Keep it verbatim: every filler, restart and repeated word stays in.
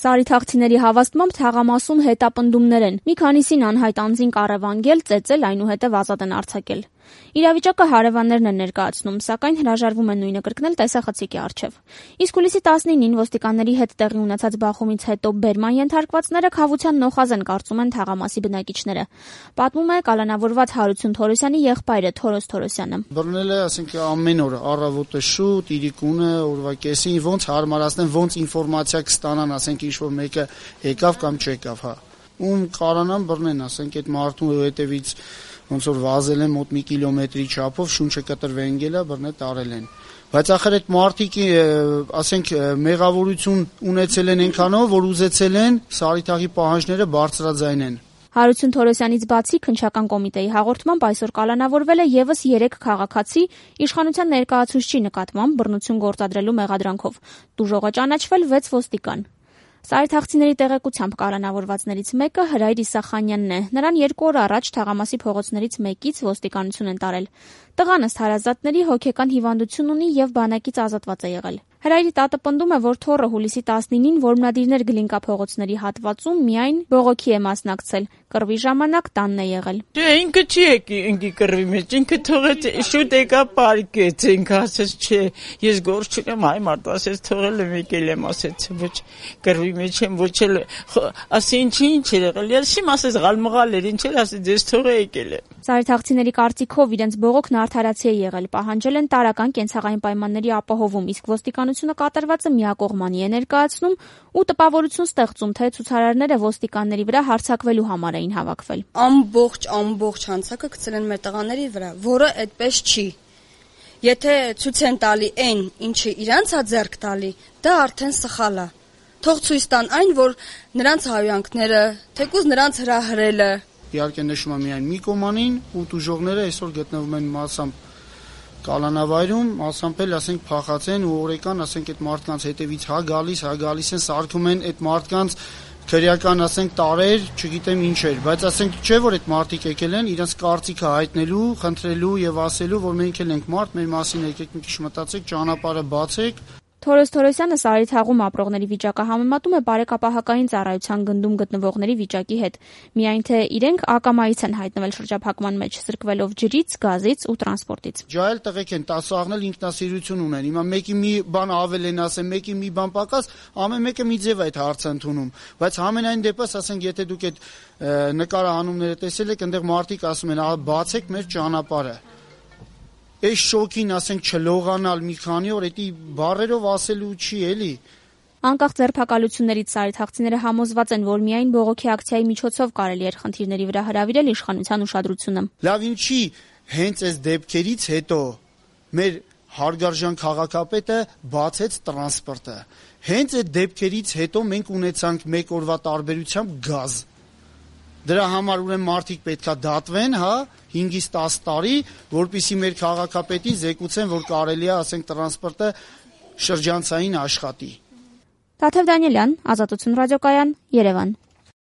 Սարիթաղցիների հավաստմամբ թաղամասում հետապնդումներ են։ Մի քանիսին անհայտ անձին կառավանգել, ծեծել, այնուհետև ազատ են արձակել։ Իրավիճակը հարևաններն են ներկայացնում, սակայն հրաժարվում են նույնը կրկնել տեսախցիկի առջև։ Իսկ հուլիսի տասնինին ոստիկանների հետ տեղի ունեցած բախումից հետո բերման ենթարկվածները քավության նոխազ են, կարծում են թաղամասի բնակիչները։ Պատմում է կալանավորված Հարություն Թորոսյանի եղբայրը Թորոս Թորոսյանը։ Բռնել է, ասենք, ամեն օր առավոտը շուտ, իրիկունը, օրվա կեսին, ոնց հարմարացնեն, ոնց ինֆորմացիա կստանան, ասենք, ինչ որ մեկը եկավ կամ չեկավ, հա։ Ում կարանան բռնեն, ասենք, այդ մարդու հետևից ոնց որ վազել են մոտ մի կիլոմետրի չափով, շունչը կտրվեն գելա, բռնել տարել են։ Բայց ախր այդ մարդիկ, ասենք, մեղավորություն ունեցել են այնքանով, որ ուզեցել են Սարիթաղի պահանջները բարձրաձայնեն։ Հարություն Թորոսյանից բացի քննչական կոմիտեի հաղորդմամբ այսօր կալանավորվել է եւս երեք քաղաքացի իշխանության ներկայացուցչի նկատմամբ բռնություն գործադրելու մեղադրանքով։ Տուժողը ճանաչվել վեց ոստիկան։ Սարիթաղցիների տեղեկությամբ կալանավորվածներից մեկը Հրայր Իսախանյանն է։ Նրան երկու օր առաջ թաղամասի փողոցներից մեկից ոստիկանություն են տարել։ Տղան ըստ հարազատների հոգեկան հիվանդություն ունի եւ բանակից ազատված է եղել։ Հրայրի տատը պնդում է, որ թոռը հուլիսի տասնինին որմնադիրներ Գլինկա փողոցների հատվածում միայն բողոքի է մասնակցել։ Կռվի ժամանակ տանն է եղել։ Չէ, ինքը չի եկի, ինքի կռվի մեջ, ինքը թողեց շուտ եկա պարկեց, ինքը ասեց, չէ, ես գործ չունեմ, այ մարդ ասեց, թողել եմ, եկել եմ, ասեց, ոչ կռվի մեջ եմ, ոչ էլ, ասի ինչի ինչ էր եղել, ես իմ ասեց, գալմղալ էր, ինչ էր, ասեց, ես թողը եկել եմ։ Սարիթաղցիների կարծիքով իրենց բողոքն արդարացի է եղել, պահանջել են տարական կենցաղային պայմանների ապահովում, իսկ ոստիկանությունը կատարվածը միակողմանի է ներկայացնում ու տպավորություն ստեղծում, թե ցուցարարները ոստիկանների վրա հարձակվելու համար էին հավաքվել։ Ամբողջ ամբողջ հանցակը գցել են մեր տղաների վրա, որը այդպես չի։ Եթե ցույց են տալի այն, ինչը իրանց է ձեռք տալի, դա արդեն սխալ է։ Թող ցույց տան այն, որ նրանց հայանքները, թեկուզ նրանց հրահրելը։ Իհարկե նշում եմ միայն մի կոմանին ու տուժողները այսօր գտնվում են մասամբ կալանավայրում, մասամբ էլ ասենք փախած են ու օրեկան ասենք այդ մարդկանց հետևից հա գալիս, հա գալիս են, սարքում են այդ մարդկանց քրեական ասենք տարեր, չգիտեմ ինչ էր, բայց ասենք չէ որ այդ մարդիկ եկել են իրենց կարծիքը հայտնելու, խնդրելու եւ ասելու, որ մենք էլ ենք մարդ, մեր մասին եկեք մի քիչ մտածեք, ճանապարհը բացեք։ Թորոս Թորոսյանը Սարիթաղում ապրողների վիճակը համեմատում է բարեկապահական ծառայության գնդում գտնվողների վիճակի հետ։ Միայն թե իրենք ակամայից են հայտնվել շրջափակման մեջ, սրկվելով ջրից, գազից ու տրանսպորտից։ Ջահել տղեկ են, տասաղնել ինքնասիրություն ունեն։ Հիմա մեկի մի բան ավել են ասել, մեկի մի բան պակաս, ամեն մեկը մի ձև այդ հարցը ընդունում։ Բայց համենայն դեպս, ասենք, եթե դուք այդ նկարահանումները տեսել եք, այնտեղ մարդիկ ասում են, ահա բացեք մեր ճանապարհը։ Այս շոկին, ասենք, չլողանալ մի քանի օր, էդի բառերով ասելու չի էլի։ Անկախ ձերբակալություններից Սարիթաղցիները համոզված են, որ միայն բողոքի ակցիայի միջոցով կարելի էր խնդիրների վրա հրավիրել իշխանության ուշադրությունը։ Լավ, ինչի հենց այս դեպքերից հետո մեր հարգարժան քաղաքապետը բացեց տրանսպորտը։ Հենց այդ դեպքերից հետո մենք ունեցանք մեկ օրվա տարբերությամբ գազ։ Դրա համար ուրեմն մարդիկ պետքա դատվեն, հա, հինգից տասը տարի, որպեսզի մեր քաղաքապետին զեկուցեն, որ կարելի է, ասենք, տրանսպորտը շրջանցային աշխատի։ Տաթև Դանիելյան, Ազատություն ռադիոկայան, Երևան։